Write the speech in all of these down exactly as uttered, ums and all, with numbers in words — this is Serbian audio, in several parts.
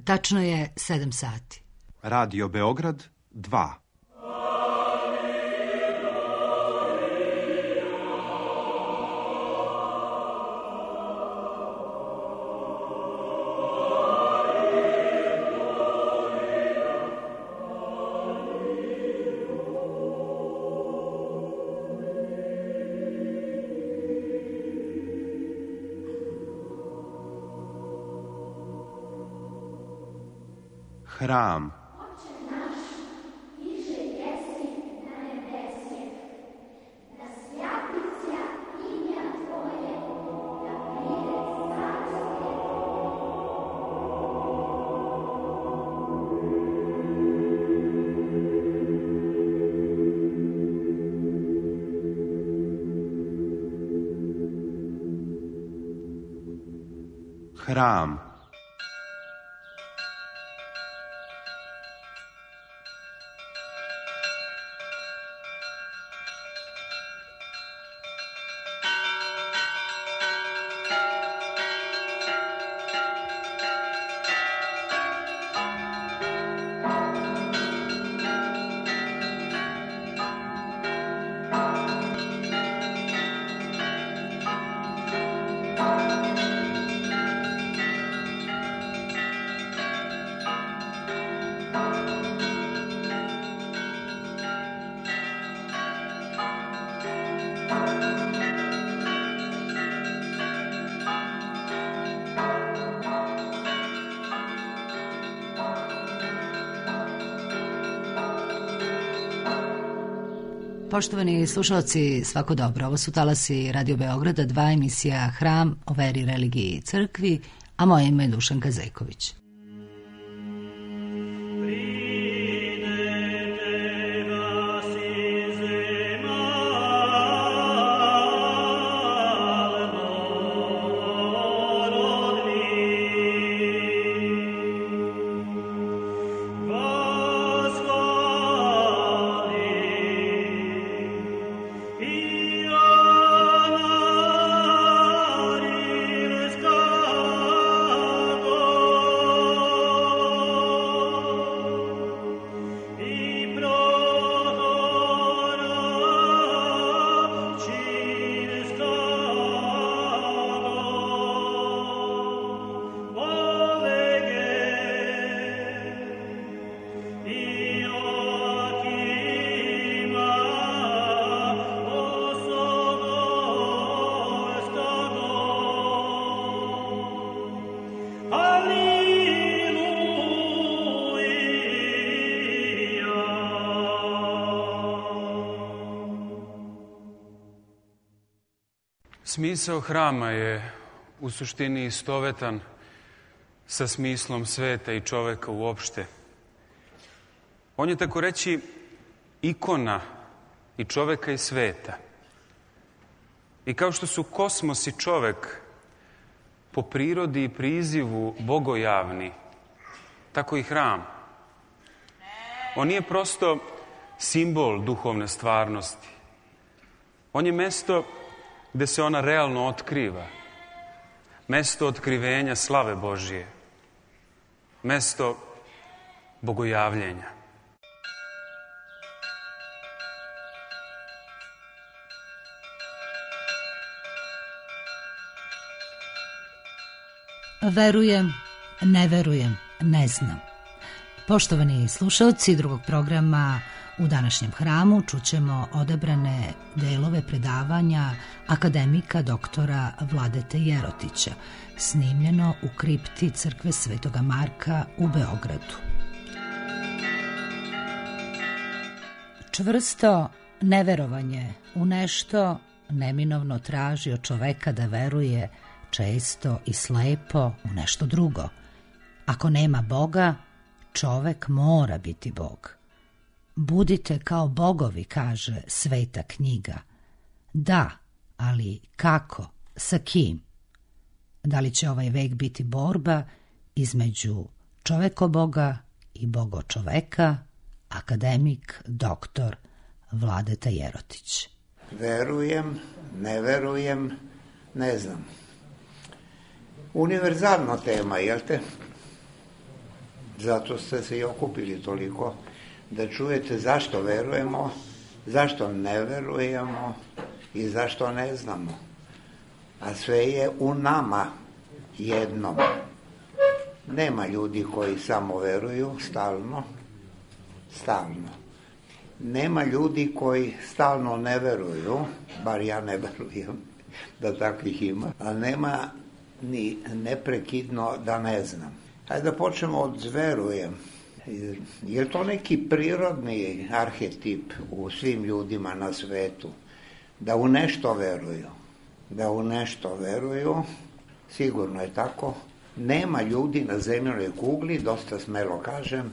Tačno je sedam sati. Radio Beograd dva. Hram. Hram. Poštovani slušalci, svako dobro. Ovo su talasi Radio Beograda, dva, emisija Hram o veri, religiji i crkvi, a moje ime je Dušanka Zejković. Smisao hrama je u suštini istovetan sa smislom sveta i čoveka uopšte. On je, tako reći, ikona i čoveka i sveta. I kao što su kosmos i čovek po prirodi i prizivu bogojavni, tako i hram. On nije prosto simbol duhovne stvarnosti. On je mesto gde se ona realno otkriva. Mesto otkrivenja slave Božije. Mesto bogojavljenja. Verujem, ne verujem, ne znam. Poštovani slušalci drugog programa, u današnjem hramu čućemo odabrane delove predavanja akademika doktora Vladete Jerotića, snimljeno u kripti crkve Svetoga Marka u Beogradu. Čvrsto neverovanje u nešto neminovno traži od čoveka da veruje često i slepo u nešto drugo. Ako nema Boga, čovek mora biti Bog. Budite kao bogovi, kaže Sveta knjiga. Da, ali kako? Sa kim? Da li će ovaj vek biti borba između čovekoboga i bogočoveka? Akademik doktor Vladeta Jerotić. Verujem, ne verujem, ne znam. Univerzalna tema, jel te? Zato ste se i okupili toliko, da čujete zašto verujemo, zašto ne verujemo i zašto ne znamo. A sve je u nama jednom. Nema ljudi koji samo veruju stalno, stalno. Nema ljudi koji stalno ne veruju, bar ja ne verujem da takvih ima, a nema ni neprekidno da ne znam. Hajde da počnemo od verujem. Je to neki prirodni arhetip u svim ljudima na svetu? Da u nešto veruju. Da u nešto veruju, sigurno je tako. Nema ljudi na zemljinoj kugli, dosta smelo kažem,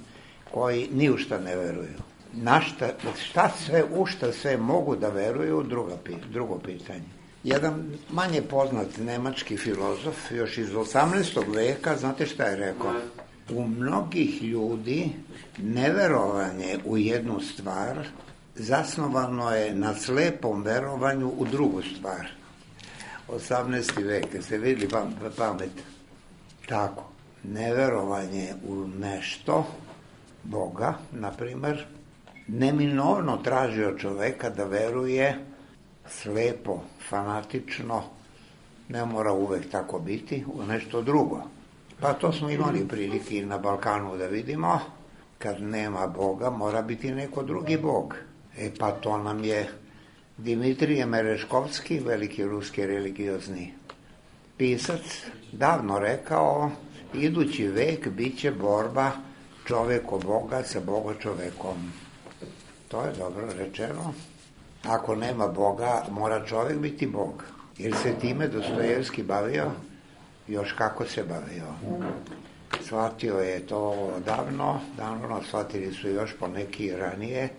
koji ni u šta ne veruju. Na šta, šta sve, u šta sve mogu da veruju, druga, drugo pitanje. Jedan manje poznat nemački filozof, još iz osamnaestog veka, znate šta je rekao? U mnogih ljudi neverovanje u jednu stvar zasnovano je na slepom verovanju u drugu stvar. osamnaesti vek, ste vidjeli pamet? Tako, neverovanje u nešto, Boga, na primer, neminovno traži od čoveka da veruje slepo, fanatično, ne mora uvek tako biti, u nešto drugo. Pa to smo imali prilike i na Balkanu da vidimo, kad nema Boga, mora biti neko drugi Bog. E pa to nam je Dimitrije Mereškovski, veliki ruski religiozni pisac, davno rekao, idući vek bit će borba čoveko Boga sa Boga čovekom. To je dobro rečeno. Ako nema Boga, mora čovek biti Bog. Jer se time Dostojevski bavio, još kako se bavio. Shvatio je to davno, davno shvatili su još poneki ranije,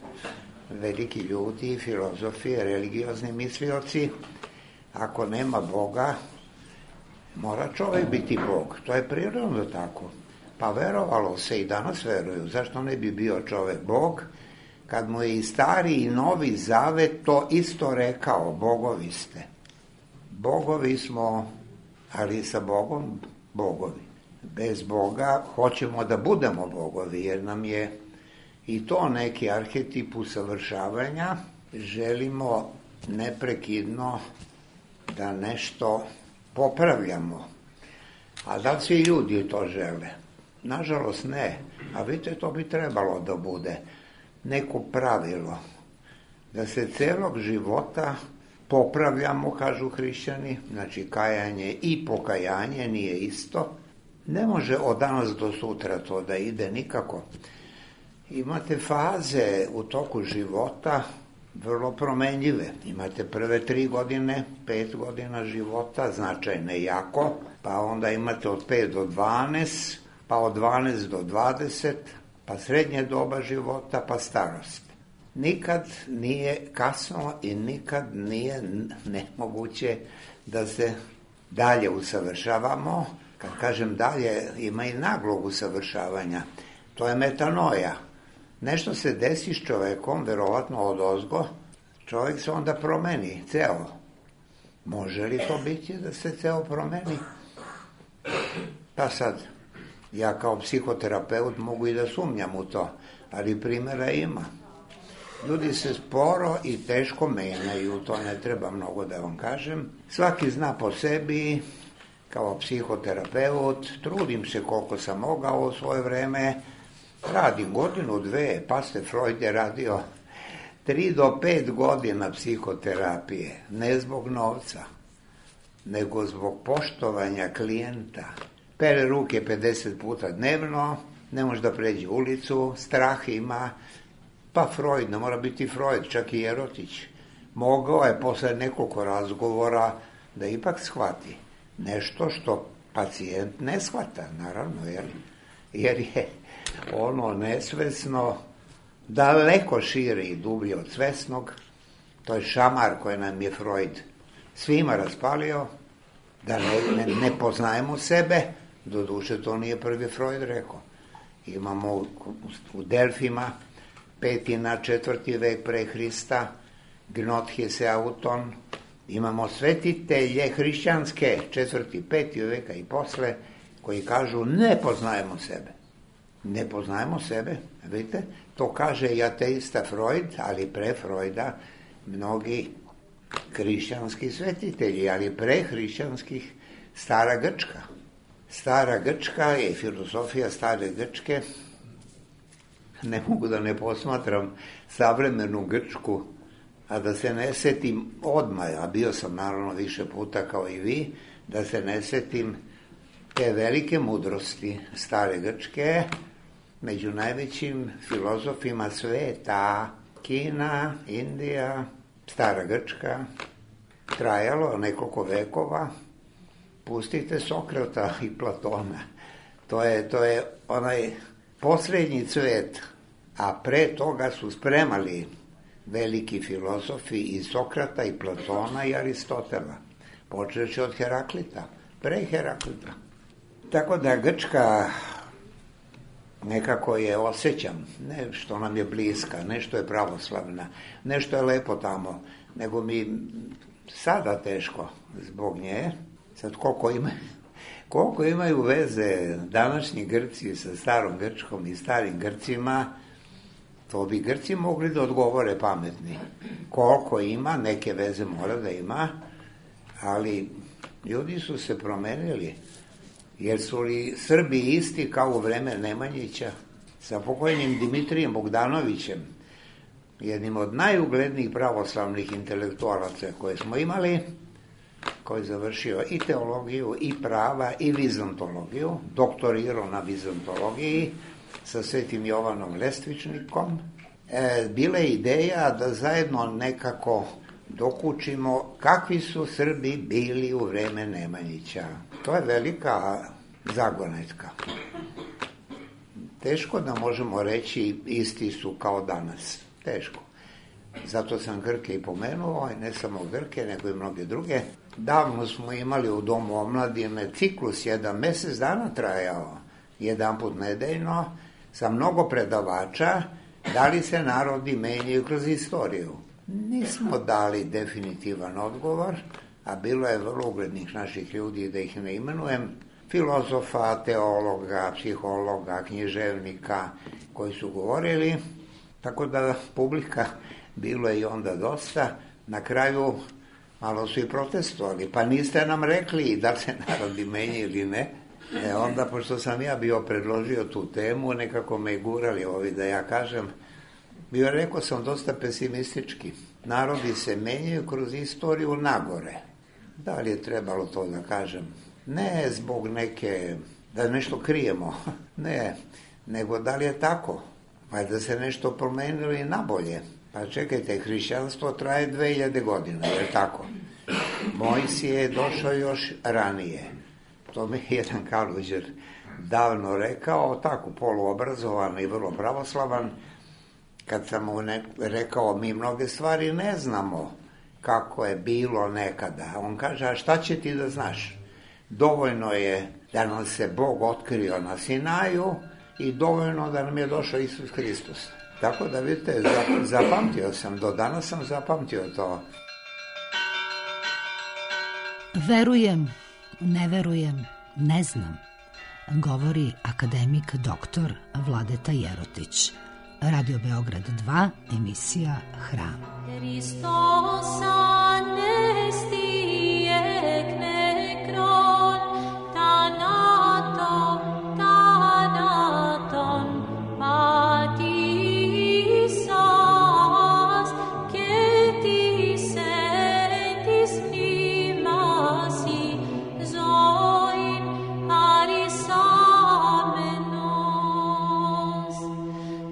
veliki ljudi, filozofi, religiozni mislioci. Ako nema Boga, mora čovek biti Bog. To je prirodno tako. Pa verovalo se i danas veruju. Zašto ne bi bio čovek Bog? Kad mu je i stari i novi zavet to isto rekao, bogovi ste. Bogovi smo, ali sa Bogom bogovi. Bez Boga hoćemo da budemo bogovi, jer nam je i to neki arhetip usavršavanja. Želimo neprekidno da nešto popravljamo. A da li svi ljudi to žele? Nažalost ne. A vidite, to bi trebalo da bude neko pravilo. Da se celog života popravljamo, kažu hrišćani, znači kajanje i pokajanje nije isto. Ne može od danas do sutra to da ide nikako. Imate faze u toku života vrlo promenljive. Imate prve tri godine, pet godina života, značajne jako, pa onda imate od pet do dvanaest, pa od dvanaest do dvadeset, pa srednje doba života, pa starost. Nikad nije kasno i nikad nije nemoguće da se dalje usavršavamo. Kad kažem dalje, ima i naglog usavršavanja. To je metanoja. Nešto se desi s čovekom, verovatno odozgo, čovek se onda promeni, ceo. Može li to biti da se ceo promeni? Pa sad, ja kao psihoterapeut mogu i da sumnjam u to, ali primjera ima. Ljudi se sporo i teško menjaju, to ne treba mnogo da vam kažem. Svaki zna po sebi, kao psihoterapeut, trudim se koliko sam mogao u svoje vreme, radim godinu, dve, pa ste Freud je radio tri do pet godina psihoterapije, ne zbog novca, nego zbog poštovanja klijenta. Pere ruke pedeset puta dnevno, ne može da pređe ulicu, strah ima, pa Freud, ne mora biti Freud, čak i Jerotić. Mogao je posle nekoliko razgovora da ipak shvati nešto što pacijent ne shvata, naravno, jer, jer je ono nesvesno daleko šire i dublje od svesnog. To je šamar koji nam je Freud svima raspalio, da ne, ne, ne poznajemo sebe. Doduše, to nije prvi Freud rekao. Imamo u, u Delfima petina, četvrti vek pre Hrista, Gnothes Auton, imamo svetitelje hrišćanske, četvrti, peti veka i posle, koji kažu ne poznajemo sebe. Ne poznajemo sebe, vidite? To kaže i ateista Freud, ali pre Freuda mnogi hrišćanski svetitelji, ali pre hrišćanskih stara Grčka. Stara Grčka je filozofija stare Grčke. Ne mogu da ne posmatram savremenu Grčku, a da se ne setim odmah, a bio sam naravno više puta kao i vi, da se ne setim te velike mudrosti stare Grčke, među najvećim filozofima sveta, Kina, Indija, stara Grčka, trajalo nekoliko vekova. Pustite Sokrata i Platona. To je, to je onaj poslednji cvet, a pre toga su spremali veliki filozofi i Sokrata i Platona i Aristotela, počeći od Heraklita, pre Heraklita. Tako da Grčka nekako je osjećam, ne što nam je bliska, nešto je pravoslavna, nešto je lepo tamo, nego mi sada teško zbog nje. Sad koliko, ima, koliko imaju veze današnji Grci sa starom Grčkom i starim Grcima, to bi Grci mogli da odgovore pametni. Koliko ima, neke veze mora da ima, ali ljudi su se promenili. Jer su li Srbi isti kao u vreme Nemanjića sa pokojnim Dimitrijem Bogdanovićem, jednim od najuglednijih pravoslavnih intelektualaca koje smo imali, koji je završio i teologiju, i prava, i vizontologiju, doktorirao na vizontologiji sa Svetim Jovanom Lestvičnikom. E, bila je ideja da zajedno nekako dokučimo kakvi su Srbi bili u vreme Nemanjića. To je velika zagonetka. Teško da možemo reći isti su kao danas. Teško. Zato sam Grke i pomenuo, i ne samo Grke, nego i mnoge druge. Davno smo imali u Domu omladine ciklus, jedan mesec dana trajao, jedan put nedeljno, sa mnogo predavača, da li se narodi menjaju kroz istoriju. Nismo dali definitivan odgovor, a bilo je vrlo uglednih naših ljudi, da ih ne imenujem, filozofa, teologa, psihologa, književnika, koji su govorili, tako da publika bilo je i onda dosta. Na kraju malo su i protestovali, pa niste nam rekli da se narodi menjaju ili ne. E onda, pošto sam ja bio predložio tu temu, nekako me gurali ovi da ja kažem, bio rekao sam dosta pesimistički. Narodi se menjaju kroz istoriju nagore. Da li je trebalo to da kažem? Ne zbog neke, da nešto krijemo, ne, nego da li je tako? Pa da se nešto promenilo i nabolje. Pa čekajte, hrišćanstvo traje dve hiljade godina, je li tako? Mojsije je došao još ranije. To mi je jedan Kaluđer davno rekao, tako poluobrazovan i vrlo pravoslavan, kad sam mu ne, rekao, mi mnoge stvari ne znamo kako je bilo nekada. On kaže, a šta će ti da znaš? Dovoljno je da nam se Bog otkrio na Sinaju i dovoljno da nam je došao Isus Hristos. Tako da vidite, zapamtio sam, do danas sam zapamtio to. Verujem, ne verujem, ne znam, govori akademik doktor Vladeta Jerotić. Radio Beograd dva, emisija Hram. Hristos anesti ek nekron, thanaton, thanaton, patisas, ketis etis primasi, zoin arisamenos.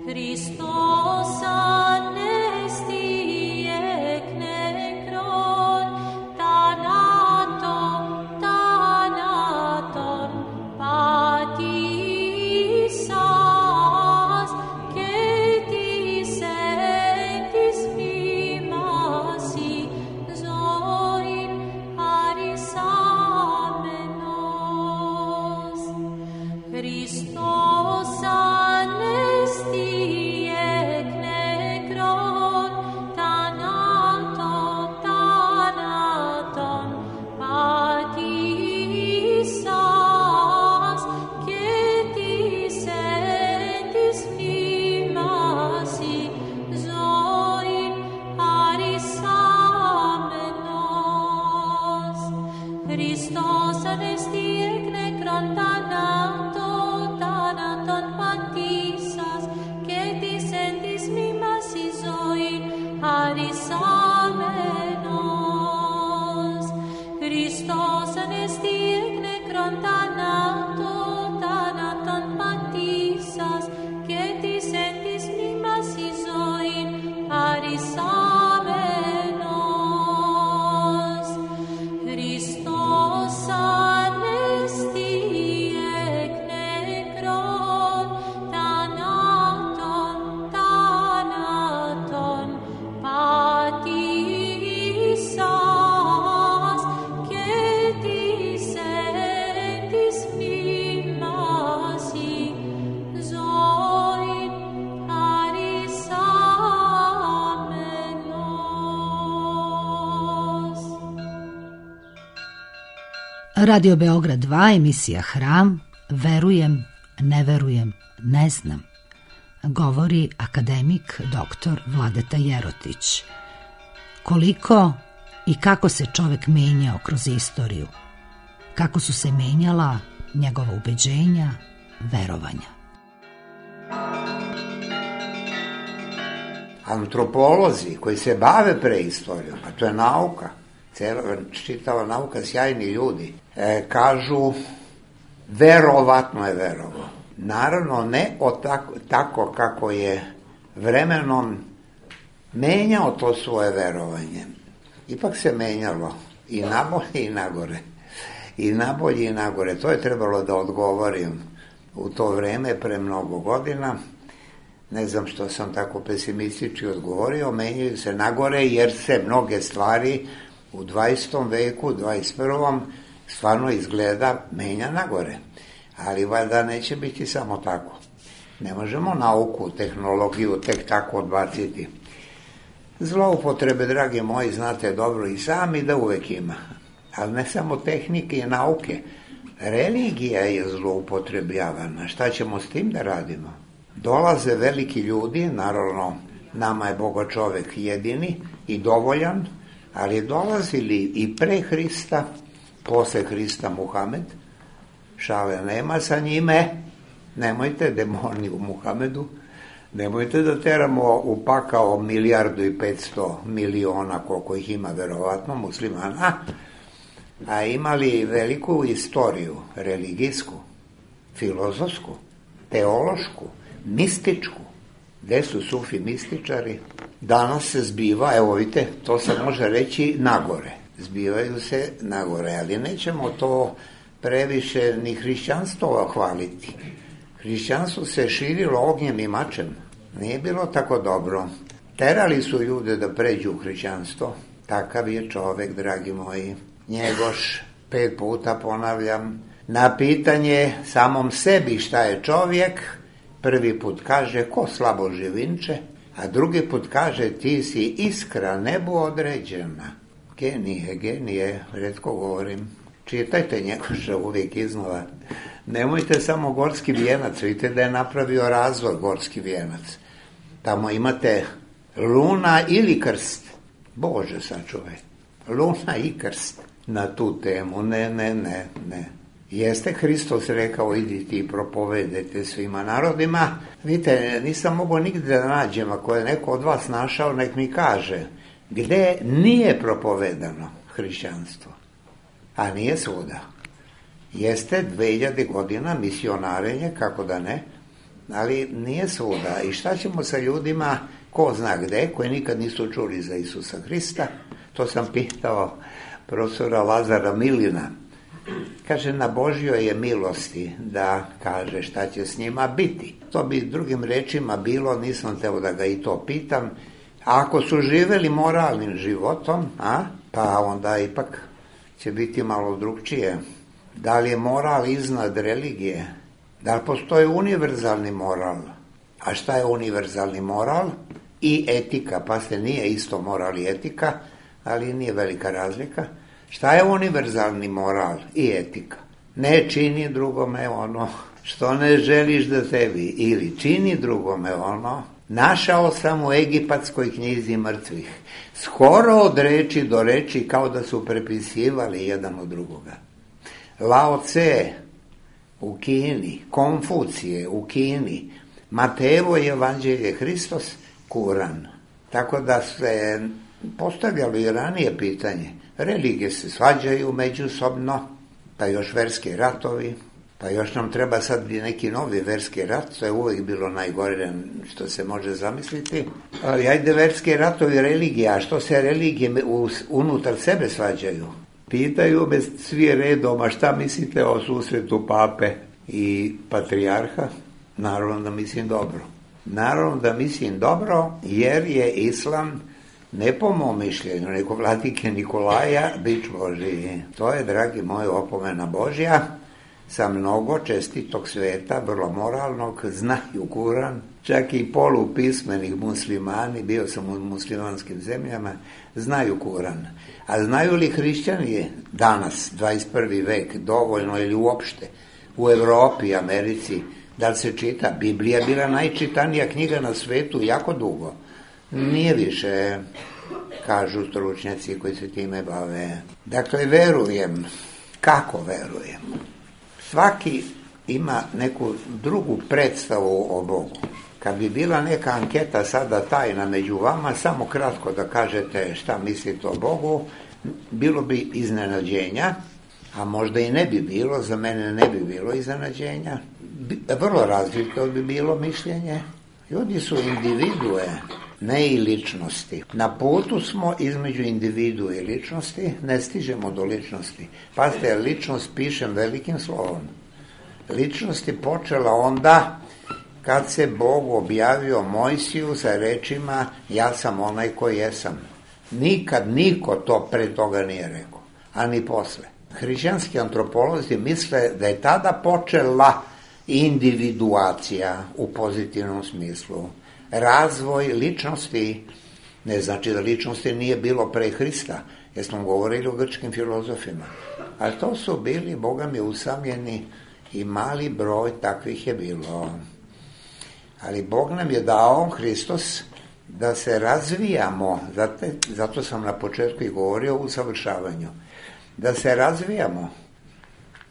Hristos anesti ek nekron, Radio Beograd dva, emisija Hram, verujem, ne verujem, ne znam. Govori akademik doktor Vladeta Jerotić. Koliko i kako se čovek menjao kroz istoriju, kako su se menjala njegova ubeđenja, verovanja. Antropolozi koji se bave preistorijom, a to je nauka, cela, čitava nauka, sjajni ljudi, e, kažu verovatno je verovo. Naravno, ne o tako, tako kako je vremenom menjao to svoje verovanje. Ipak se menjalo i nabolje i nagore. I nabolje i nagore. To je trebalo da odgovorim u to vreme pre mnogo godina. Ne znam što sam tako pesimistički odgovorio. Menjaju se nagore jer se mnoge stvari u dvadesetom veku, dvadeset prvom stvarno izgleda menja nagore. Ali valjda neće biti samo tako. Ne možemo nauku, tehnologiju tek tako odbaciti. Zloupotrebe, dragi moji, znate dobro i sami da uvek ima. Ali ne samo tehnike i nauke. Religija je zloupotrebljavana. Šta ćemo s tim da radimo? Dolaze veliki ljudi, naravno nama je Boga čovek jedini i dovoljan, ali dolazili i pre Hrista, posle Hrista Muhamed, šale nema sa njime, nemojte demoni u Muhamedu, nemojte da teramo u pakao milijardu i petsto miliona, koliko ih ima verovatno muslimana, a imali veliku istoriju, religijsku, filozofsku, teološku, mističku. Gde su sufi mističari? Danas se zbiva, evo vidite, to se može reći nagore. Zbivaju se nagore, ali nećemo to previše ni hrišćanstvo hvaliti. Hrišćanstvo se širilo ognjem i mačem. Nije bilo tako dobro. Terali su ljude da pređu u hrišćanstvo. Takav je čovek, dragi moji. Njegoš, pet puta ponavljam, na pitanje samom sebi šta je čovjek, prvi put kaže ko slabo živinče, a drugi put kaže ti si iskra nebu određena. Genije, genije, retko govorim. Čitajte Njegoša uvijek iznova. Nemojte samo Gorski vijenac, vidite da je napravio razvoj Gorski vijenac. Tamo imate luna ili krst. Bože sačuvaj. Luna i krst na tu temu. Ne, ne, ne, ne. Jeste Hristos rekao idite i propovedajte svima narodima. Vidite, nisam mogao nigde da nađem, ako je neko od vas našao, nek mi kaže gde nije propovedano hrišćanstvo. A nije svuda. Jeste dve hiljade godina misionarenje, kako da ne, ali nije svuda. I šta ćemo sa ljudima, ko zna gde, koji nikad nisu čuli za Isusa Hrista? To sam pitao profesora Lazara Milina. Kaže, na Božjoj je milosti da kaže šta će s njima biti. To bi drugim rečima bilo, nisam teo da ga i to pitam. A ako su živeli moralnim životom, a, pa onda ipak će biti malo drugčije. Da li je moral iznad religije? Da li postoji univerzalni moral? A šta je univerzalni moral? I etika, pa se nije isto moral i etika, ali nije velika razlika. Šta je univerzalni moral i etika? Ne čini drugome ono što ne želiš da tebi, ili čini drugome ono. Našao sam u egipatskoj knjizi mrtvih, skoro od reči do reči, kao da su prepisivali jedan od drugoga. Lao Tse u Kini, Konfucije u Kini, Matejevo evanđelje, Hristos, Kuran. Tako da se postavljalo i ranije pitanje. Religije se svađaju međusobno, pa još verski ratovi, pa još nam treba sad neki novi verski rat, to je uvijek bilo najgore što se može zamisliti. Ali ajde verski ratovi religija, a što se religije unutar sebe svađaju? Pitaju me svi redom, a šta mislite o susretu pape i patrijarha? Naravno da mislim dobro. Naravno da mislim dobro, jer je islam, ne po mom mišljenju, nego vladike Nikolaja, bič Božiji. To je, dragi moji, opomena Božja. sa mnogo čestitog sveta, vrlo moralnog, znaju Kuran, čak i polupismenih muslimani, bio sam u muslimanskim zemljama, znaju Kuran. A znaju li hrišćani danas, dvadeset prvi vek, dovoljno ili uopšte, u Evropi, Americi, da li se čita? Biblija je bila najčitanija knjiga na svetu jako dugo. Nije više, kažu stručnjaci koji se time bave. Dakle, verujem. Kako verujem? Svaki ima neku drugu predstavu o Bogu. Kad bi bila neka anketa sada tajna među vama, samo kratko da kažete šta mislite o Bogu, bilo bi iznenađenja, a možda i ne bi bilo, za mene ne bi bilo iznenađenja. Vrlo različito bi bilo mišljenje. Ljudi su individue, ne i ličnosti. Na putu smo između individue i ličnosti, ne stižemo do ličnosti. Pazite, ličnost pišem velikim slovom. Ličnost je počela onda kad se Bog objavio Mojsiju sa rečima ja sam onaj koji jesam. Nikad niko to pre toga nije rekao, a ni posle. Hrišćanski antropolozi misle da je tada počela individuacija u pozitivnom smislu. Razvoj ličnosti, ne znači da ličnosti nije bilo pre Hrista, jer smo govorili o grčkim filozofima, ali to su bili, Boga mi, usamljeni i mali broj takvih je bilo. Ali Bog nam je dao, Hristos, da se razvijamo, zato, zato sam na početku i govorio o usavršavanju, da se razvijamo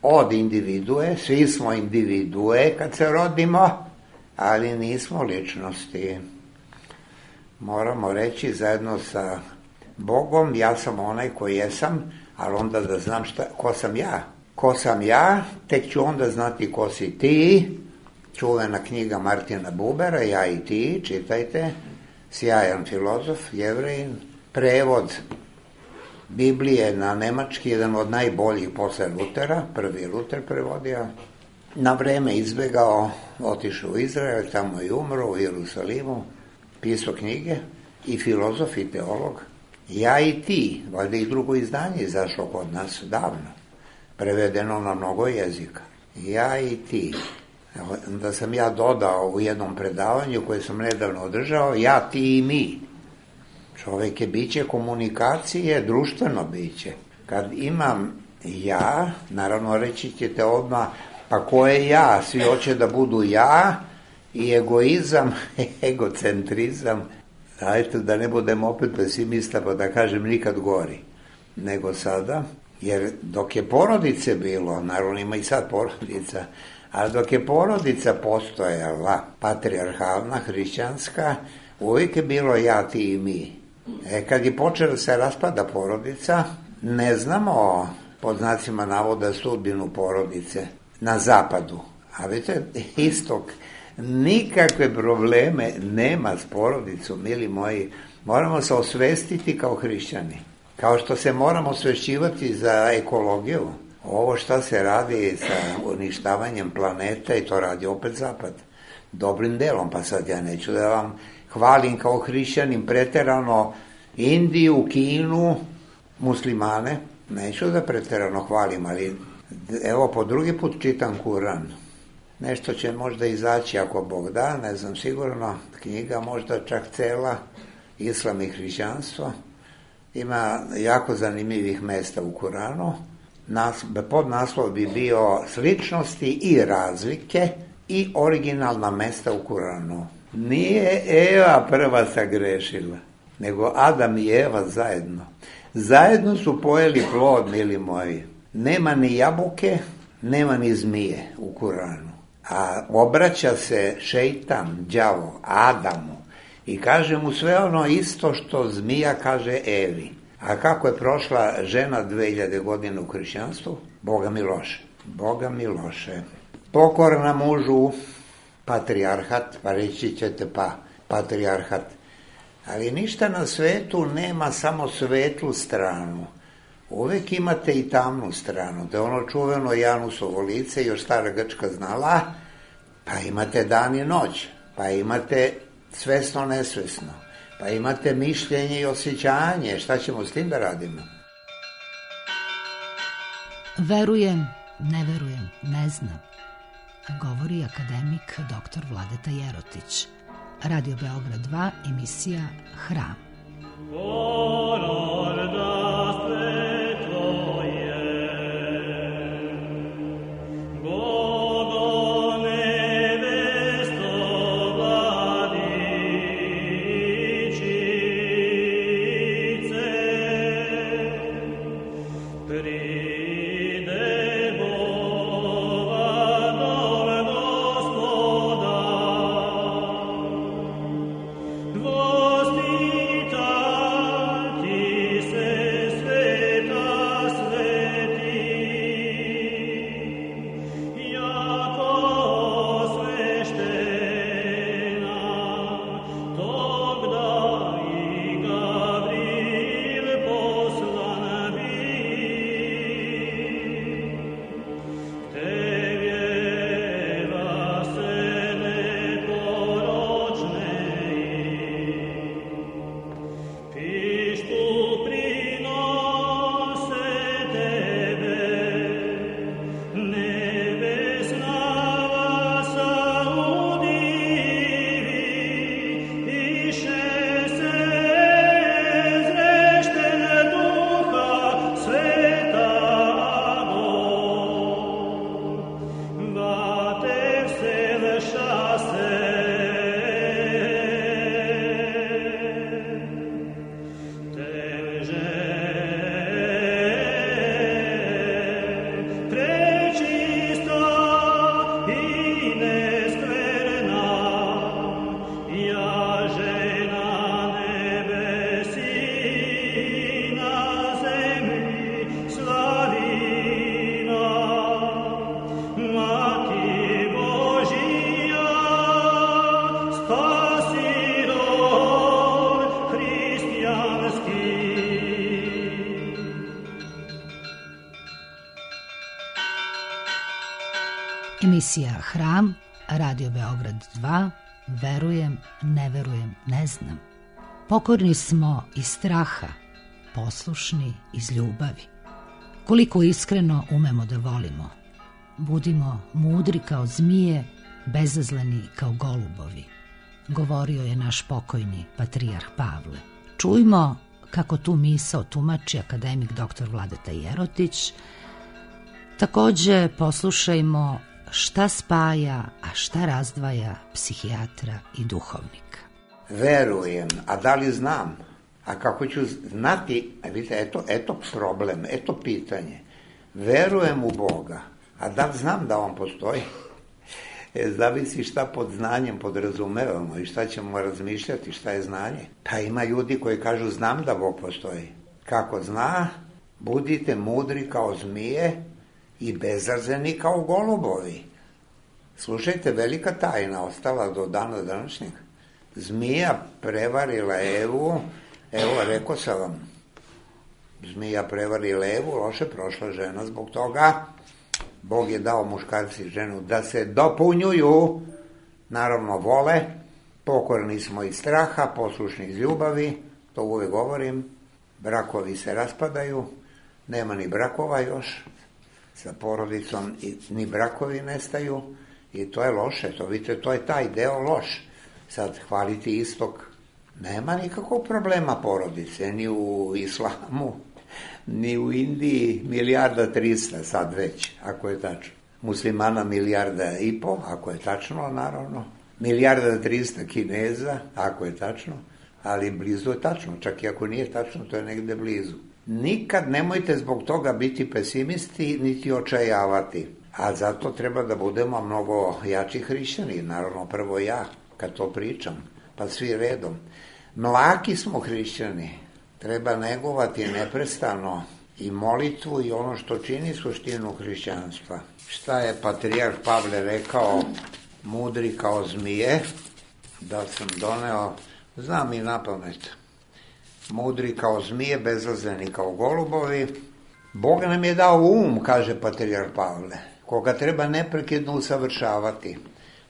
od individue, svi smo individue kad se rodimo, ali nismo ličnosti. Moramo reći zajedno sa Bogom, ja sam onaj koji jesam, ali onda da znam šta, ko sam ja. Ko sam ja, tek ću onda znati ko si ti. Čuvena knjiga Martina Bubera, Ja i ti, čitajte, sjajan filozof, Jevrejin, prevod Biblije na nemački, jedan od najboljih posle Lutera, prvi Luter prevodio, na vreme izbegao, otišao u Izrael, tamo i umro, u Jerusalimu, pisao knjige, i filozof i teolog. Ja i ti, valjda i drugo izdanje izašlo kod nas davno, prevedeno na mnogo jezika. Ja i ti. Da sam ja dodao u jednom predavanju koje sam nedavno održao, ja, ti i mi. Čovjek je biće komunikacije, društveno biće. Kad imam ja, naravno reći ćete odmah, pa ko je ja? Svi hoće da budu ja, i egoizam, egocentrizam. Dajte da ne budem opet pesimista pa da kažem nikad gori nego sada, jer dok je porodice bilo, naravno ima i sad porodica, ali dok je porodica postojala, patrijarhalna, hrišćanska, uvijek je bilo ja, ti i mi. E, kad je počela se raspada porodica, ne znamo, pod znacima navoda, sudbinu porodice na zapadu. A vidite, istok, nikakve probleme nema s porodicom, mili moji. Moramo se osvestiti kao hrišćani. Kao što se moramo osvešćivati za ekologiju. Ovo šta se radi sa uništavanjem planeta, i to radi opet zapad. Dobrim delom, pa sad ja neću da vam hvalim kao hrišćanin preterano Indiju, Kinu, muslimane. Neću da preterano hvalim, ali evo po drugi put čitam Kuran. Nešto će možda izaći ako Bog da, ne znam sigurno, knjiga možda čak cela, Islam i hrišćanstvo. Ima jako zanimljivih mesta u Kuranu. Nas, pod naslov bi bio sličnosti i razlike i originalna mesta u Kuranu. Nije Eva prva sagrešila, nego Adam i Eva zajedno. Zajedno su pojeli plod, mili moji. Nema ni jabuke, nema ni zmije u Kuranu. A obraća se šejtan, đavo, Adamu i kaže mu sve ono isto što zmija kaže Evi. A kako je prošla žena dve hiljade godina u hrišćanstvu? Boga mi loše. Boga mi loše. Pokorna mužu, patrijarhat, pa reći ćete pa, patrijarhat. Ali ništa na svetu nema samo svetlu stranu. Uvijek imate i tamnu stranu. Da je ono čuveno Janusovo lice, još stara Grčka znala, pa imate dan i noć, pa imate svesno nesvesno, pa imate mišljenje i osjećanje. Šta ćemo s tim da radimo? Verujem ne verujem, ne znam, govori akademik doktor Vladeta Jerotić. Radio Beograd dva, emisija Hram. Emisija Hram, Radio Beograd dva, verujem, ne verujem, ne znam. Pokorni smo iz straha, poslušni iz ljubavi. Koliko iskreno umemo da volimo. Budimo mudri kao zmije, bezazleni kao golubovi, govorio je naš pokojni patrijarh Pavle. Čujmo kako tu misao tumači akademik doktor Vladeta Jerotić. Takođe poslušajmo šta spaja, a šta razdvaja psihijatra i duhovnika. Verujem, a da li znam? A kako ću znati, vidite, eto, eto problem, eto pitanje. Verujem u Boga, a da li znam da on postoji? E, zavisi šta pod znanjem podrazumevamo i šta ćemo razmišljati, šta je znanje. Pa ima ljudi koji kažu znam da Bog postoji. Kako zna, budite mudri kao zmije i bezazleni kao golubovi. Slušajte, velika tajna ostala do dana današnjeg. Zmija prevarila Evu, evo rekao sam vam, zmija prevarila Evu, loše prošla žena zbog toga. Bog je dao muškarci i ženu da se dopunjuju, naravno vole, pokorni smo iz straha, poslušni iz ljubavi, to uvek govorim, brakovi se raspadaju, nema ni brakova još, sa porodicom i ni brakovi nestaju i to je loše, to vidite, to je taj deo loš. Sad hvaliti istok, nema nikakvog problema porodice, ni u islamu, ni u Indiji milijarda trista sad već, ako je tačno. Muslimana milijarda i po, ako je tačno, naravno. Milijarda trista Kineza, ako je tačno, ali blizu je tačno, čak i ako nije tačno, to je negde blizu. Nikad nemojte zbog toga biti pesimisti, niti očajavati, a zato treba da budemo mnogo jači hrišćani, naravno prvo ja, kad to pričam, pa svi redom. Mlaki smo hrišćani, treba negovati neprestano i molitvu i ono što čini suštinu hrišćanstva. Šta je patrijarh Pavle rekao, mudri kao zmije, da sam doneo, znam i napamet, mudri kao zmije, bezazleni kao golubovi. Bog nam je dao um, kaže patrijarh Pavle, koga treba neprekidno usavršavati.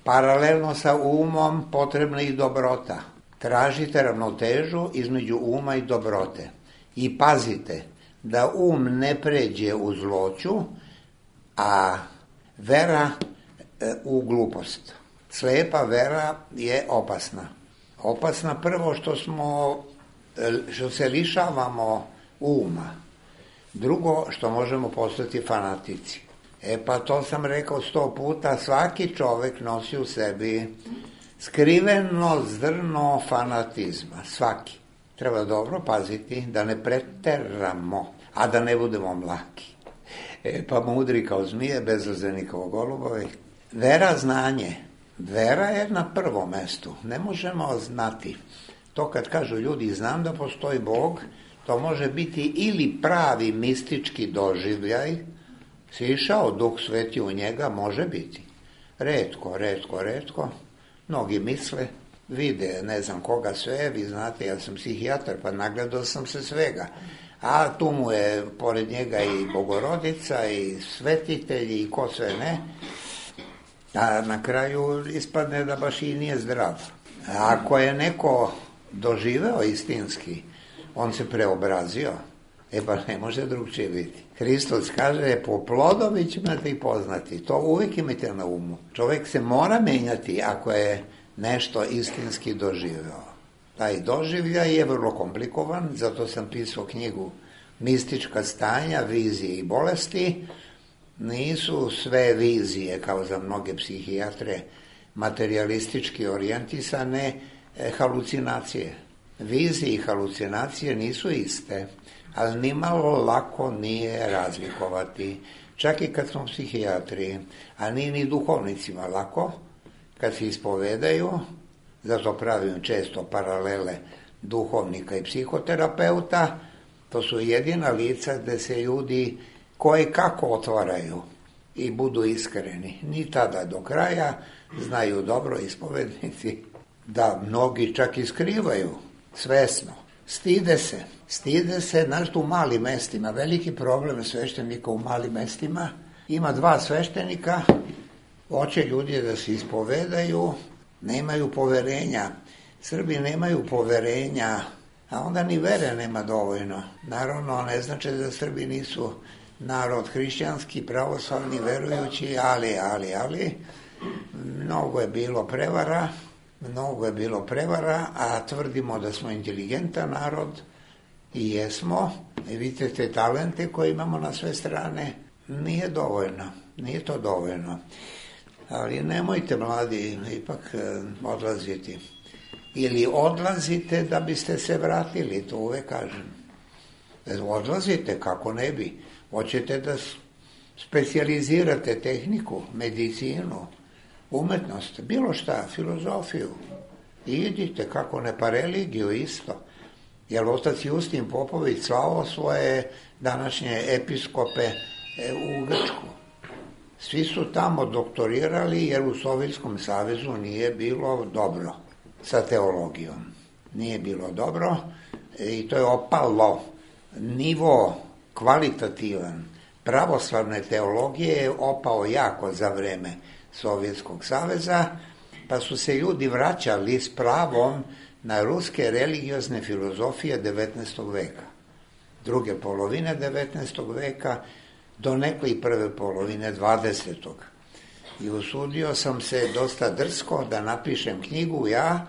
Paralelno sa umom potrebna i dobrota. Tražite ravnotežu između uma i dobrote. I pazite da um ne pređe u zloću, a vera e, u glupost. Slepa vera je opasna. Opasna prvo što smo, što se lišavamo uma. Drugo, što možemo postati fanatici. E pa to sam rekao sto puta, svaki čovek nosi u sebi skriveno zrno fanatizma. Svaki. Treba dobro paziti da ne preteramo, a da ne budemo mlaki. E pa mudri kao zmije, bezazleni kao golubovi. Vera, znanje. Vera je na prvom mestu. Ne možemo znati. To kad kažu ljudi, znam da postoji Bog, to može biti ili pravi mistički doživljaj, sišao Duh Sveti u njega, može biti. Retko, retko, retko. Mnogi misle, vide, ne znam koga sve, vi znate, ja sam psihijatar, pa nagledao sam se svega. A tu mu je pored njega i Bogorodica, i svetitelji, i ko sve ne. A na kraju ispadne da baš i nije zdrav. Ako je neko doživeo istinski, on se preobrazio, e pa ne može drugčije biti. Hristos kaže, po plodovi ćete ih poznati. To uvijek imate na umu. Čovjek se mora menjati ako je nešto istinski doživeo. Taj doživljaj je vrlo komplikovan, zato sam pisao knjigu Mistička stanja, vizije i bolesti. Nisu sve vizije, kao za mnoge psihijatre, materijalistički orijentisane, e, halucinacije. Vizije i halucinacije nisu iste, ali nimalo lako nije razlikovati. Čak i kad smo psihijatri, a nije ni duhovnicima lako, kad se ispovedaju, zato pravim često paralele duhovnika i psihoterapeuta, to su jedina lica gde se ljudi koje kako otvaraju i budu iskreni. Ni tada do kraja, znaju dobro ispovednici da mnogi čak i skrivaju svesno. Stide se. Stide se, znaš, u malim mestima. Veliki problem sveštenika u malim mestima. Ima dva sveštenika, hoće ljudi da se ispovedaju, nemaju poverenja. Srbi nemaju poverenja, a onda ni vere nema dovoljno. Naravno, ne znači da Srbi nisu narod hrišćanski, pravoslavni, verujući, ali, ali, ali, mnogo je bilo prevara, mnogo je bilo prevara, a tvrdimo da smo inteligentan narod i jesmo, i vidite te talente koje imamo na sve strane, nije dovoljno, nije to dovoljno. Ali nemojte, mladi, ipak odlaziti. Ili odlazite da biste se vratili, to uvek kažem. Odlazite, kako ne bi. Hoćete da specijalizirate tehniku, medicinu, umetnost, bilo šta, filozofiju. I idite, kako ne, pa religiju isto. Jer otac Justin Popović slao svoje današnje episkope u Grčku. Svi su tamo doktorirali jer u Sovjetskom savezu nije bilo dobro sa teologijom. Nije bilo dobro i to je opalo. Nivo kvalitativan pravoslavne teologije je opao jako za vreme Sovjetskog saveza, pa su se ljudi vraćali s pravom na ruske religiozne filozofije devetnaestog veka. Druge polovine devetnaestog veka do neke prve polovine dvadesetog. I usudio sam se dosta drsko da napišem knjigu ja,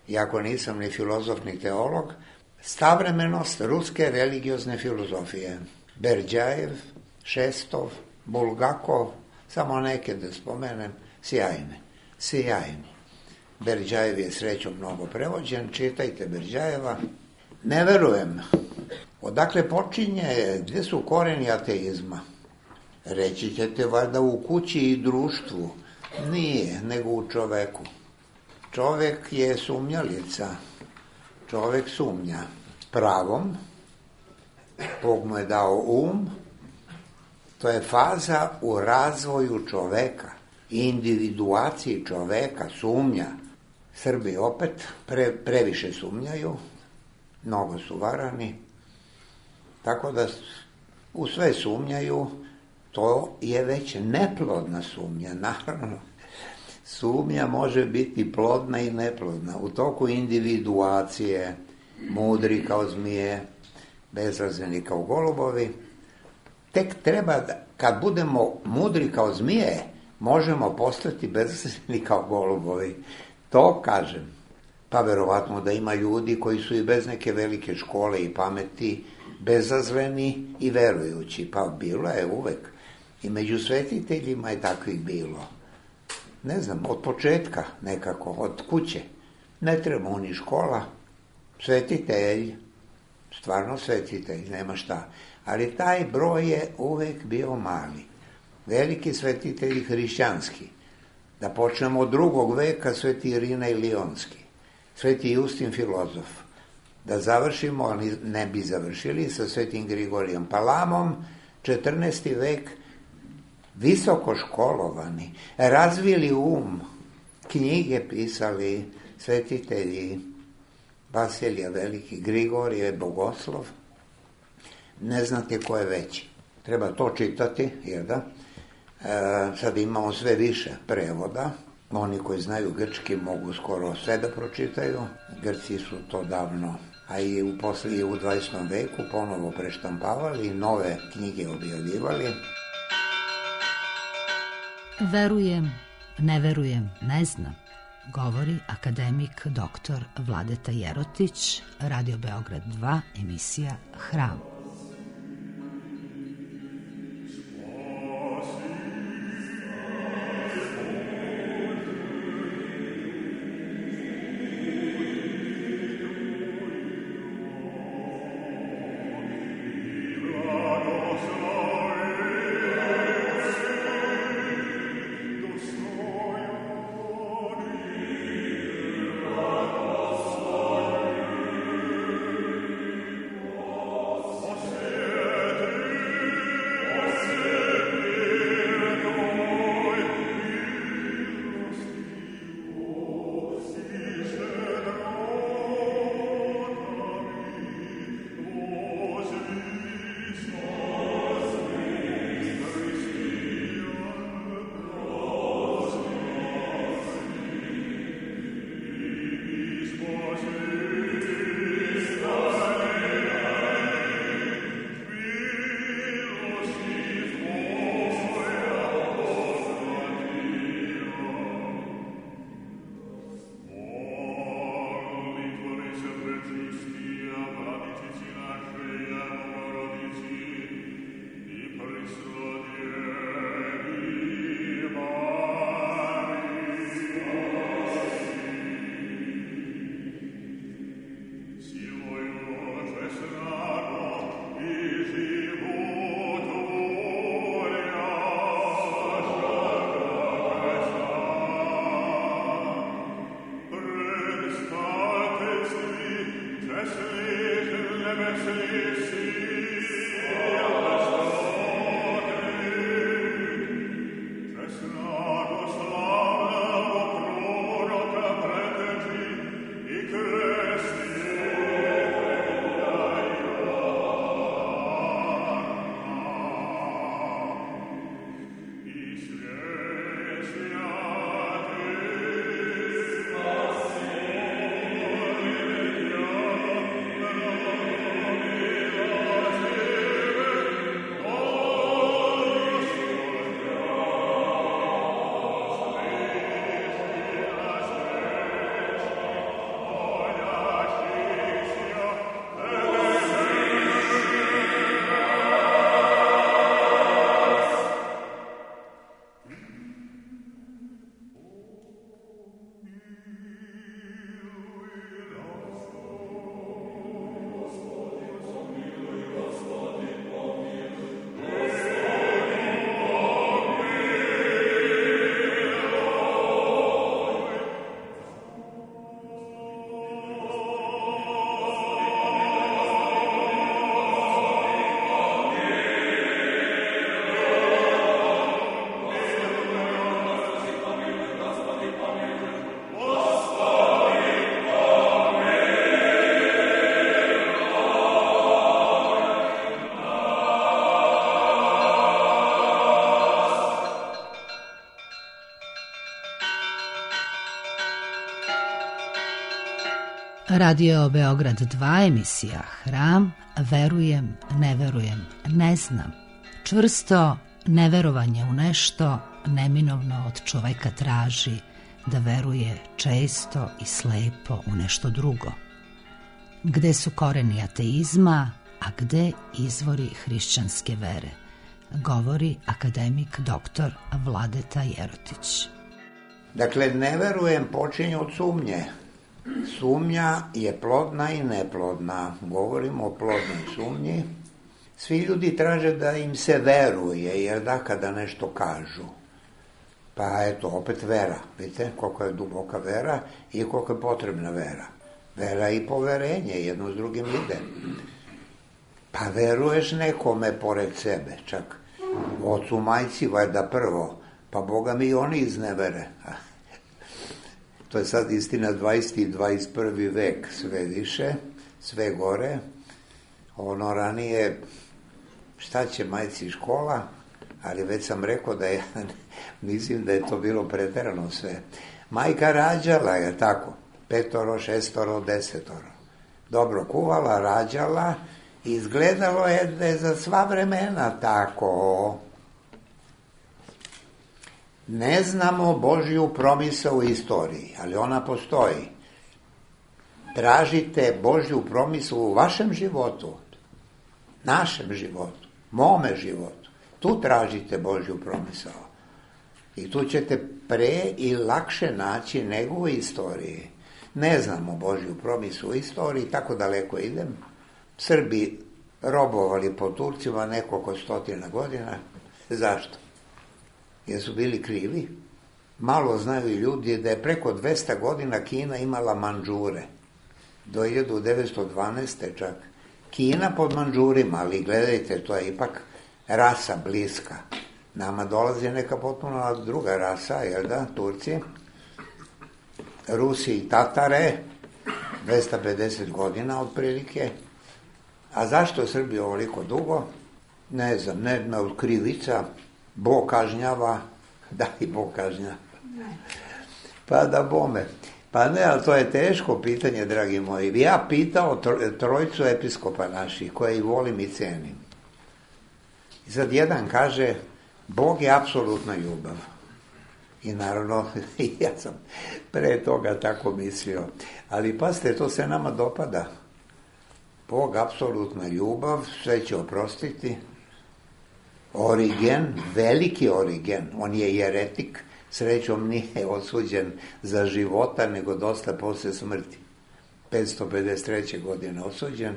iako nisam ni filozof ni teolog, Savremenost ruske religiozne filozofije. Berdjajev, Šestov, Bulgakov, samo neke da spomenem, sjajne, sjajni. Berdjajev je srećom mnogo prevođen, čitajte Berdjajeva. Ne verujem. Odakle počinje, gdje su koreni ateizma? Reći ćete valjda u kući i društvu. Nije, nego u čoveku. Čovek je sumnjalica. Čovek sumnja pravom, Bog mu je dao um, to je faza u razvoju čoveka, individuaciji čoveka, sumnja. Srbi opet pre, previše sumnjaju, mnogo su varani, tako da u sve sumnjaju, to je već neplodna sumnja, naravno. Sumnja može biti plodna i neplodna. U toku individuacije, mudri kao zmije, bezrazveni kao golubovi, tek treba, da, kad budemo mudri kao zmije, možemo postati bezazleni kao golubovi. To kažem. Pa verovatno da ima ljudi koji su i bez neke velike škole i pameti bezazleni i verujući. Pa bilo je uvek. I među svetiteljima je takvih bilo. Ne znam, od početka nekako, od kuće. Ne treba mu ni škola. Svetitelj, stvarno svetitelj, nema šta. Ali taj broj je uvek bio mali. Veliki svetitelji hrišćanski. Da počnemo od drugog veka, sveti Irina i Lionski, sveti Justin filozof. Da završimo, ali ne bi završili, sa svetim Grigorijem Palamom, četrnaesti vek, visoko školovani, razvili um, knjige pisali svetitelji, Vasilije Veliki, Grigorije, Bogoslov. Ne znate ko je veći. Treba to čitati, jer da? E, sad imamo sve više prevoda. Oni koji znaju grčki mogu skoro sve da pročitaju. Grci su to davno, a i u poslije u dvadesetom veku ponovo preštampavali i nove knjige objavljivali. Verujem, ne verujem, ne znam, govori akademik doktor Vladeta Jerotić, Radio Beograd dva, emisija Hram. Radio Beograd dva, emisija Hram, verujem, ne verujem, ne znam. Čvrsto Neverovanje u nešto neminovno od čoveka traži da veruje često i slepo u nešto drugo. Gde su koreni ateizma, a gde izvori hrišćanske vere, govori akademik doktor Vladeta Jerotić. Dakle, ne verujem počinje od sumnje. Sumnja je plodna i neplodna. Govorimo o plodnoj sumnji. Svi ljudi traže da im se veruje, jer da kada nešto kažu. Pa eto, opet vera. Vidite koliko je duboka vera i koliko je potrebna vera. Vera i poverenje, jedno s drugim ide. Pa veruješ nekome pored sebe, čak ocu, majci, valjda prvo, pa Boga mi i oni iznevere. To je sad istina dvadeset i dvadeset prvi vek, sve više, sve gore. Ono ranije, šta će majci škola, ali već sam rekao da je, mislim da je to bilo preterano sve. Majka rađala, je tako, petoro, šestoro, desetoro. Dobro kuvala, rađala, izgledalo je da je za sva vremena tako. Ne znamo Božju promisao u istoriji, ali ona postoji. Tražite Božju promisao u vašem životu, našem životu, mome životu. Tu tražite Božju promisao. I tu ćete pre i lakše naći nego u istoriji. Ne znamo Božju promisao u istoriji, tako daleko idem. Srbi robovali po Turcima nekoliko stotina godina. Zašto? Jer su bili krivi. Malo znaju ljudi da je preko dvesta godina Kina imala Mandžure. Do hiljadu devetsto dvanaeste čak. Kina pod Mandžurima, ali gledajte, to je ipak rasa bliska. Nama dolazi neka potpuno druga rasa, jel da, Turci. Rusi i Tatare, dvesta pedeset godina otprilike. A zašto Srbi ovoliko dugo? Ne znam, ne znam, od krivica, Bog kažnjava, da i Bog kažnjava. Pa da bome. Pa ne, ali to je teško pitanje, dragi moji. Ja pitao trojcu episkopa naših, koje i volim i cenim. I sad jedan kaže, Bog je apsolutna ljubav. I naravno, ja sam pre toga tako mislio. Ali pazite, to se nama dopada. Bog, apsolutna ljubav, sve će oprostiti. Origen, veliki Origen, on je jeretik, srećom nije osuđen za života, nego dosta posle smrti. petsto pedeset treće godine osuđen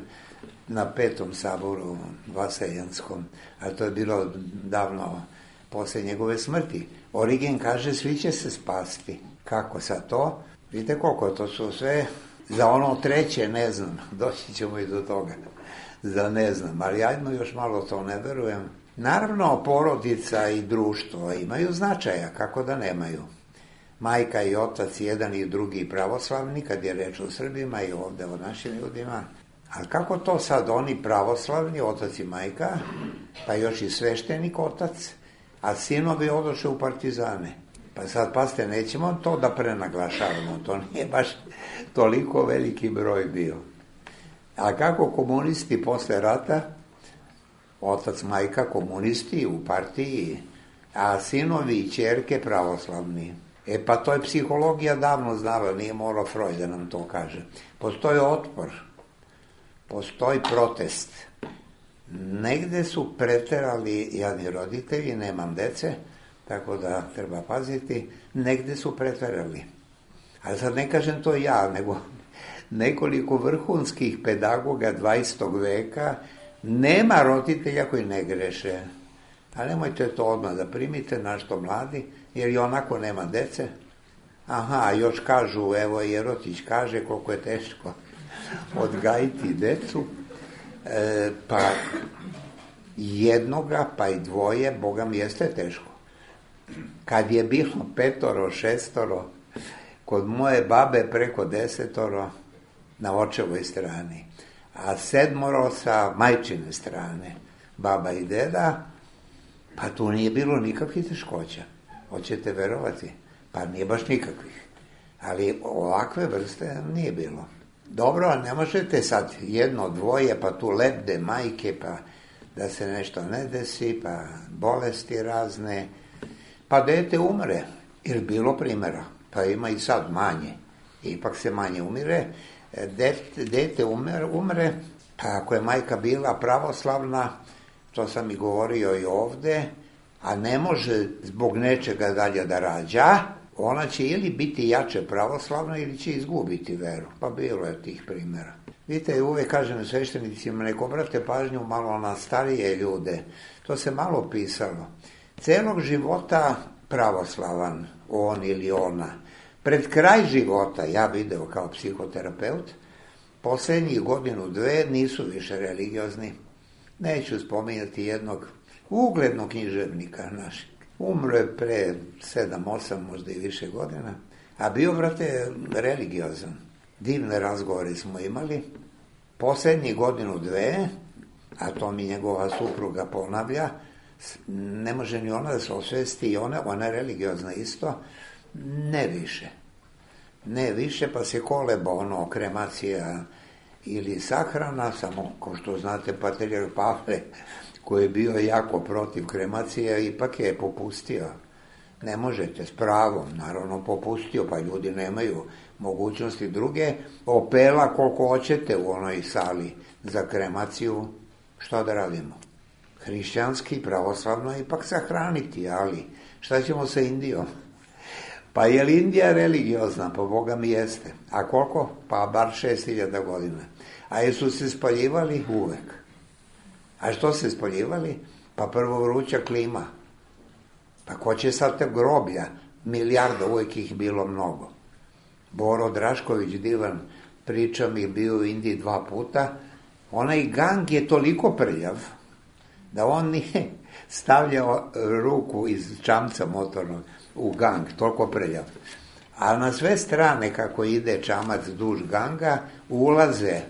na petom saboru vaseljanskom, a to je bilo davno posle njegove smrti. Origen kaže, svi će se spasti. Kako sad to? Vidite koliko to su sve, za ono treće ne znam, doći ćemo i do toga, za ne znam, ali ajmo još malo to ne verujem. Naravno, porodica i društvo imaju značaja, kako da nemaju. Majka i otac, jedan i drugi pravoslavni, kad je reč o Srbima i ovde o našim ljudima. Ali kako to sad oni pravoslavni, otac i majka, pa još i sveštenik otac, a sinovi odoše u partizane. Pa sad, pazite, nećemo to da prenaglašavamo, to nije baš toliko veliki broj bio. A kako komunisti posle rata, otac, majka, komunisti u partiji, a sinovi i ćerke pravoslavni. E pa to je psihologija davno znala, nije morao Freud da nam to kaže. Postoji otpor, postoji protest. Negde su preterali jadni roditelji, nemam dece, tako da treba paziti, negde su preterali. Ali sad ne kažem to ja, nego nekoliko vrhunskih pedagoga dvadesetog veka. Nema roditelja koji ne greše. A nemojte to odmah da primite, našto mladi, jer i onako nema dece. Aha, još kažu, evo Jerotić kaže koliko je teško odgajiti decu. E, pa jednoga, pa i dvoje, Boga mi jeste teško. Kad je bilo petoro, šestoro, kod moje babe preko desetoro na očevoj strani, a sedmoro sa majčine strane, baba i deda, pa tu nije bilo nikakvih teškoća. Hoćete verovati? Pa nije baš nikakvih. Ali ovakve vrste nije bilo. Dobro, ne možete sad jedno, dvoje, pa tu lebde majke, pa da se nešto ne desi, pa bolesti razne, pa dete umre, ili bilo primjera, pa ima i sad manje, ipak se manje umire, dete, dete umre, umre, pa ako je majka bila pravoslavna, to sam i govorio i ovde, a ne može zbog nečega dalje da rađa, ona će ili biti jače pravoslavna ili će izgubiti veru. Pa bilo je tih primjera. Vidite, uvek kažem sveštenicima, nek obrate pažnju malo na starije ljude. To se malo pisalo. Celog života pravoslavan, on ili ona. Pred kraj života, ja video kao psihoterapeut, poslednjih godinu, dve nisu više religiozni. Neću spominjati jednog uglednog književnika našeg. Umro je pre sedam, osam, možda i više godina, a bio, brate, religiozan. Divne razgovore smo imali. Poslednjih godinu, dve, a to mi njegova supruga ponavlja, ne može ni ona da se osvesti i ona, ona je religiozna isto, ne više. Ne više, pa se koleba ono, kremacija ili sahrana, samo, ko što znate, patrijarh Pavle, koji je bio jako protiv kremacije, ipak je popustio. Ne možete, s pravom, naravno popustio, pa ljudi nemaju mogućnosti druge. Opela koliko hoćete u onoj sali za kremaciju, što da radimo? Hrišćanski, pravoslavno ipak sahraniti, ali šta ćemo sa Indijom? Pa je li Indija religiozna? Pa Boga mi jeste. A koliko? Pa bar šest hiljada godina. A jesu se spaljivali? Uvek. A što se spaljivali? Pa prvo vruća klima. Pa ko će sad te groblja? Milijarda, uvijek ih bilo mnogo. Boro Drašković, divan, priča mi, bio u Indiji dva puta. Onaj gang je toliko prljav da on nije stavljao ruku iz čamca motornog u gang, toliko prljav. A na sve strane, kako ide čamac duž ganga, ulaze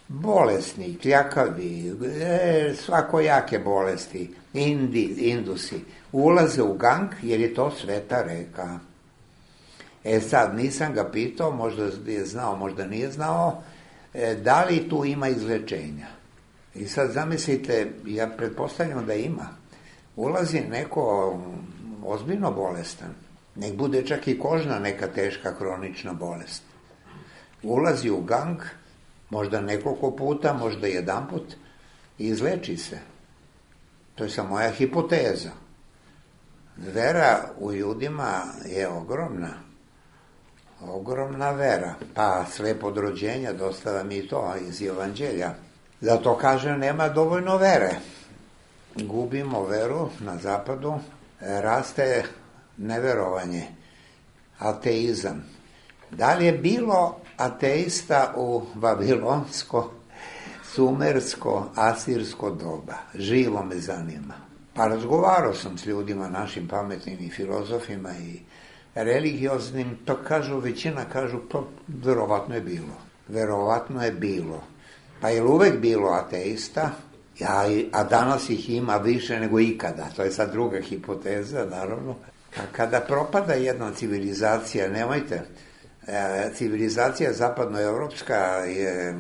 bolesni, kljakavi, e, svakojake bolesti, Indi, Indusi, ulaze u gang jer je to sveta reka. E sad, nisam ga pitao, možda je znao, možda nije znao, e, da li tu ima izlečenja. I sad zamislite, ja pretpostavljam da ima. Ulazi neko ozbiljno bolestan, nek bude čak i kožna neka teška hronična bolest. Ulazi u gang, možda nekoliko puta, možda jedan put, i izleči se. To je samo moja hipoteza. Vera u ljudima je ogromna. Ogromna vera. Pa slepo od rođenja, dostava mi to iz Evanđelja. Zato kažem, nema dovoljno vere. Gubimo veru na zapadu, raste neverovanje, ateizam. Da li je bilo ateista u babilonsko, sumersko, asirsko doba? Živo me zanima. Pa razgovarao sam s ljudima, našim pametnim i filozofima i religioznim, to kažu, većina kažu, pa verovatno je bilo. Verovatno je bilo. Pa je li uvek bilo ateista? Ja, a danas ih ima više nego ikada. To je sad druga hipoteza, naravno. A kada propada jedna civilizacija, nemojte, civilizacija zapadnoevropska je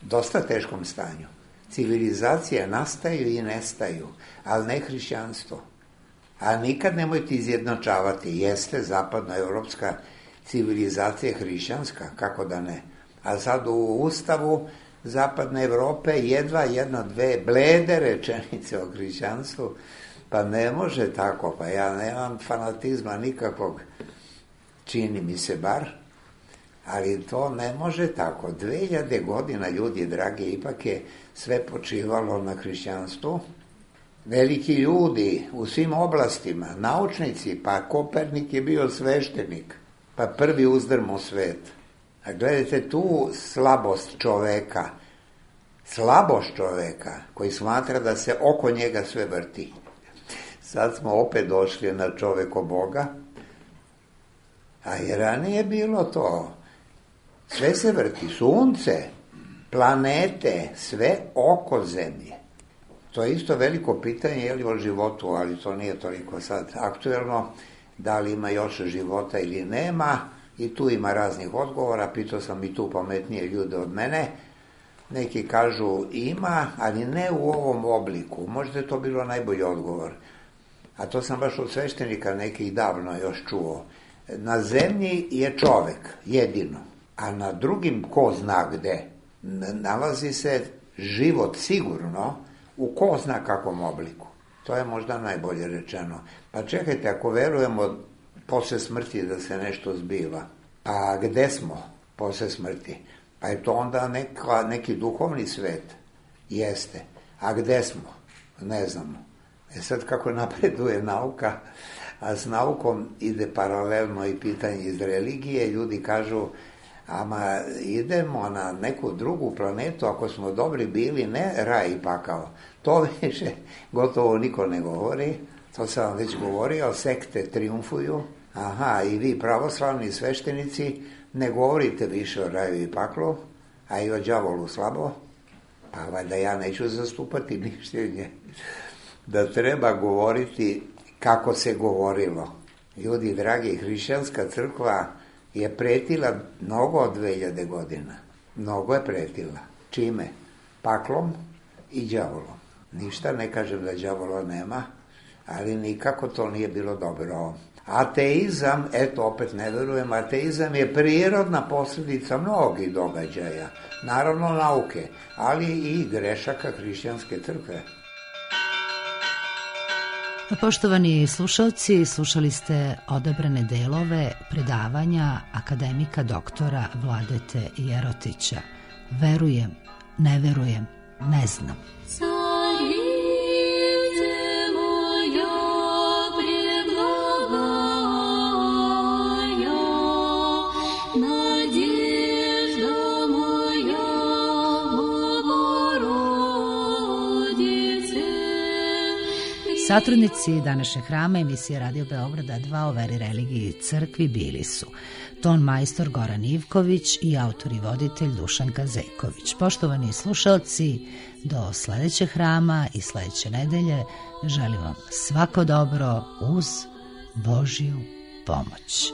dosta teškom stanju. Civilizacije nastaju i nestaju, ali ne hrišćanstvo. A nikad nemojte izjednačavati. Jeste zapadnoevropska civilizacija hrišćanska, kako da ne. A sad u Ustavu Zapadne Evrope jedva jedna, dve blede rečenice o hrišćanstvu, pa ne može tako, pa ja nemam fanatizma nikakvog, čini mi se bar, ali to ne može tako. Dve hiljade godina, ljudi dragi, ipak je sve počivalo na hrišćanstvu. Veliki ljudi u svim oblastima, naučnici, pa Kopernik je bio sveštenik, pa prvi uzdrmo svet. A gledajte tu slabost čoveka, slabost čoveka koji smatra da se oko njega sve vrti. Sad smo opet došli na čoveko Boga, a i ranije bilo to. Sve se vrti, sunce, planete, sve oko zemlje. To je isto veliko pitanje, je li o životu, ali to nije toliko sad aktuelno, da li ima još života ili nema. I tu ima raznih odgovora, pitao sam i tu pametnije ljude od mene, Neki kažu ima, ali ne u ovom obliku. Možda je to bilo najbolji odgovor. A to sam baš od sveštenika nekih davno još čuo. Na zemlji je čovek, jedino. A na drugim, ko zna gde, nalazi se život sigurno u ko zna kakvom obliku. To je možda najbolje rečeno. Pa čekajte, ako verujemo posle smrti da se nešto zbiva, a gde smo posle smrti? Pa je to onda neka, neki duhovni svet? Jeste. A gde smo? Ne znamo. E sad kako napreduje nauka, a s naukom ide paralelno i pitanje iz religije, ljudi kažu, ama idemo na neku drugu planetu, ako smo dobri bili, ne raj i pakao. To više gotovo niko ne govori, to sam vam već govorio, sekte triumfuju, aha, i vi pravoslavni sveštenici ne govorite više o raju i paklu, a i o đavolu slabo, pa valjda ja neću zastupati mišljenje da treba govoriti kako se govorilo. Ljudi dragi, hrišćanska crkva je pretila mnogo od dve hiljade godina. Mnogo je pretila. Čime? Paklom i đavolom. Ništa ne kažem da đavola nema, ali nikako to nije bilo dobro. Ateizam, eto opet ne verujem, ateizam je prirodna posljedica mnogih događaja. Naravno nauke, ali i grešaka hrišćanske crkve. Poštovani slušalci, slušali ste odabrane delove predavanja akademika doktora Vladete Jerotića. Verujem, ne verujem, ne znam. Satrudnici današnjeg hrama emisije Radio Beograda dva o veri, religiji i crkvi bili su ton majstor Goran Ivković i autor i voditelj Dušan Kazeković. Poštovani slušalci, do sledećeg hrama i sledeće nedelje želim vam svako dobro uz Božju pomoć.